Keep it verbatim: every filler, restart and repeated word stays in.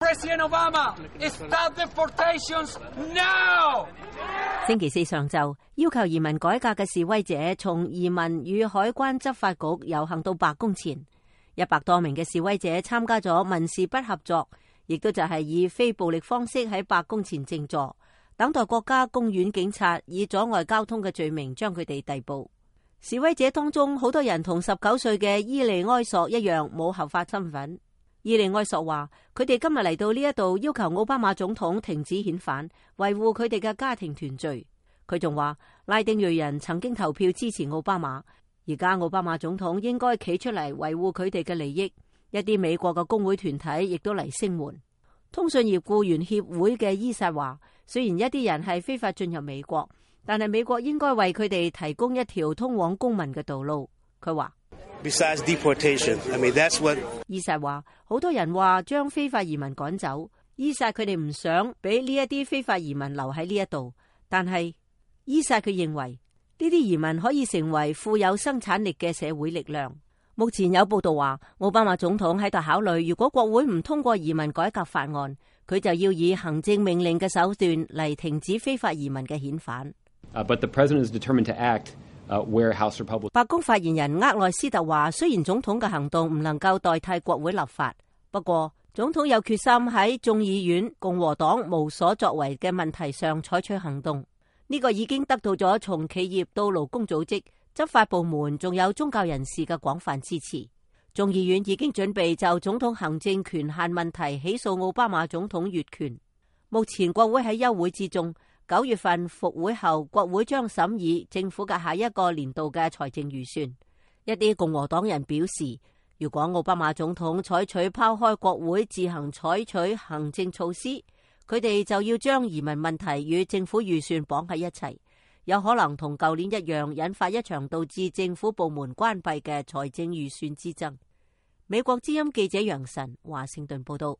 President Obama, stop deportations now! 星期四上晝，要求移民改革嘅示威者從移民與海關執法局遊行到白宮前，一百多名嘅示威者參加咗民事不合作，亦都就係以非暴力方式喺白宮前靜坐，等待國家公園警察以阻礙交通嘅罪名將佢哋逮捕。示威者當中好多人同十九歲嘅伊利埃索一樣冇合法身份。伊利埃索話：佢哋今日嚟到呢一度，要求奧巴馬總統停止遣返，維護佢哋嘅家庭團聚。佢仲話拉丁裔人曾經投票支持奧巴馬，而家奧巴馬總統應該企出嚟維護佢哋嘅利益。一啲美國嘅工會團體亦都嚟聲援。通訊業僱員協會嘅伊薩話：雖然一啲人係非法進入美國，但係美國應該為佢哋提供一條通往公民嘅道路。佢話。Besides deportation, I mean, that's what... 伊薩話，好多人話將非法移民趕走，伊薩佢哋唔想俾呢一啲非法移民留喺呢一度，但係伊薩佢認為呢啲移民可以成為富有生產力嘅社會力量。目前有報道話，奧巴馬總統喺度考慮，如果國會唔通過移民改革法案，佢就要以行政命令嘅手段嚟停止非法移民嘅遣返。Uh, but the president is determined to act. Uh, where House Republic... 白宮發言人厄內斯特話，雖然總統嘅行動唔能夠代替國會立法，不過總統有決心喺眾議院共和黨無所作為嘅問題上採取行動。呢個已經得到咗從企業到勞工組織、執法部門仲有宗教人士嘅廣泛支持。眾議院已經準備就總統行政權限問題起訴奧巴馬總統越權。目前國會喺休會之中。九月份復會後，國會將審議政府嘅下一個年度嘅財政預算。一啲共和黨人表示，如果奧巴馬總統採取拋開國會自行採取行政措施，佢哋就要將移民問題與政府預算綁喺一齊，有可能同舊年一樣引發一場導致政府部門關閉嘅財政預算之爭。美國之音記者楊晨華盛頓報道。